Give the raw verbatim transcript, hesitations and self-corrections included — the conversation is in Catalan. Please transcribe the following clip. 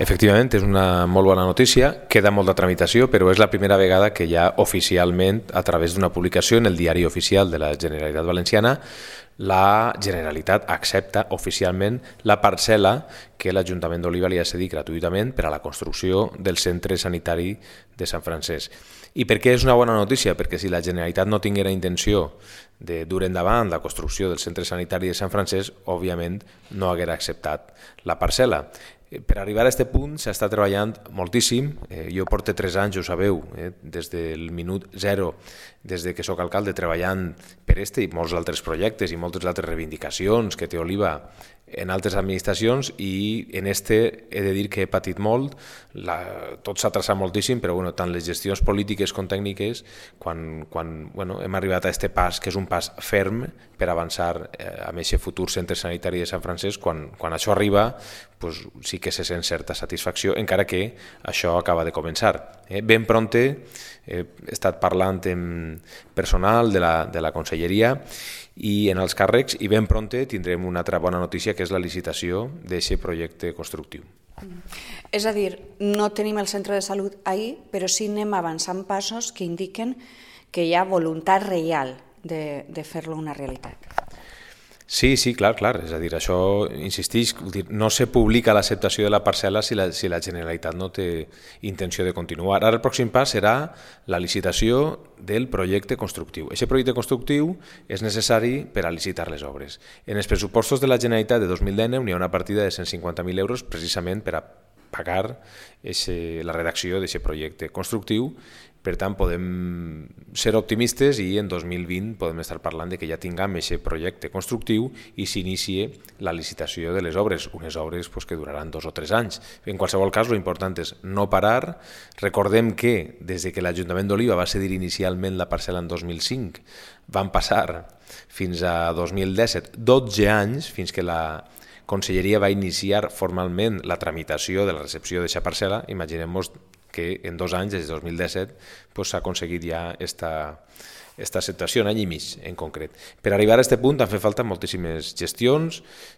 Efectivament, és una molt bona notícia, queda molta tramitació, però és la primera vegada que ja oficialment, a través d'una publicació en el diari oficial de la Generalitat Valenciana, la Generalitat accepta oficialment la parcel·la que l'Ajuntament d'Oliva li ha cedit gratuïtament per a la construcció del centre sanitari de Sant Francesc. I per què és una bona notícia? Perquè si la Generalitat no tinguera intenció de dur endavant la construcció del centre sanitari de Sant Francesc, òbviament no haguera acceptat la parcel·la. Per arribar a aquest punt s'ha estat treballant moltíssim. Eh, jo porto tres anys, ho sabeu, eh, des del minut zero, des de que sóc alcalde, treballant per este i molts altres projectes i moltes altres reivindicacions que té Oliva en altres administracions, i en este he de dir que he patit molt, la, tot s'ha traçat moltíssim, però bueno, tant les gestions polítiques com tècniques, quan, quan bueno, hem arribat a aquest pas, que és un pas ferm per avançar eh, amb aquest futur centre sanitari de Sant Francesc, quan, quan això arriba, pues, sí que se sent certa satisfacció, encara que això acaba de començar. Eh, ben prompte he estat parlant amb personal de la, de la conselleria i en els càrrecs, i ben prompte tindrem una altra bona notícia, que és la licitació d'aquest projecte constructiu. És a dir, no tenim el centre de salut ahir, però sí anem avançant passos que indiquen que hi ha voluntat real de, de fer-lo una realitat. Sí, sí, clar, clar. És a dir, això, insistix, no se publica l'acceptació de la parcel·la si la, si la Generalitat no té intenció de continuar. Ara el pròxim pas serà la licitació del projecte constructiu. Aquest projecte constructiu és necessari per a licitar les obres. En els pressupostos de la Generalitat de dos mil dinou n'hi ha una partida de cent cinquanta mil euros precisament per a pagar ese, la redacció d'aquest projecte constructiu. Per tant, podem ser optimistes i en dos mil vint podem estar parlant de que ja tinguem aquest projecte constructiu i s'inicie la licitació de les obres, unes obres pues, que duraran dos o tres anys. En qualsevol cas, l'important és no parar. Recordem que des que l'Ajuntament d'Oliva va cedir inicialment la parcel·la en dos mil cinc, van passar fins a dos mil disset, dotze anys, fins que la Conselleria va iniciar formalment la tramitació de la recepció d'aquesta parcel·la. Imaginem-nos que en dos anys, des de dos mil disset, s'ha aconseguit ja aquesta acceptació, un any i mig en concret. Per arribar a aquest punt han fet falta moltíssimes gestions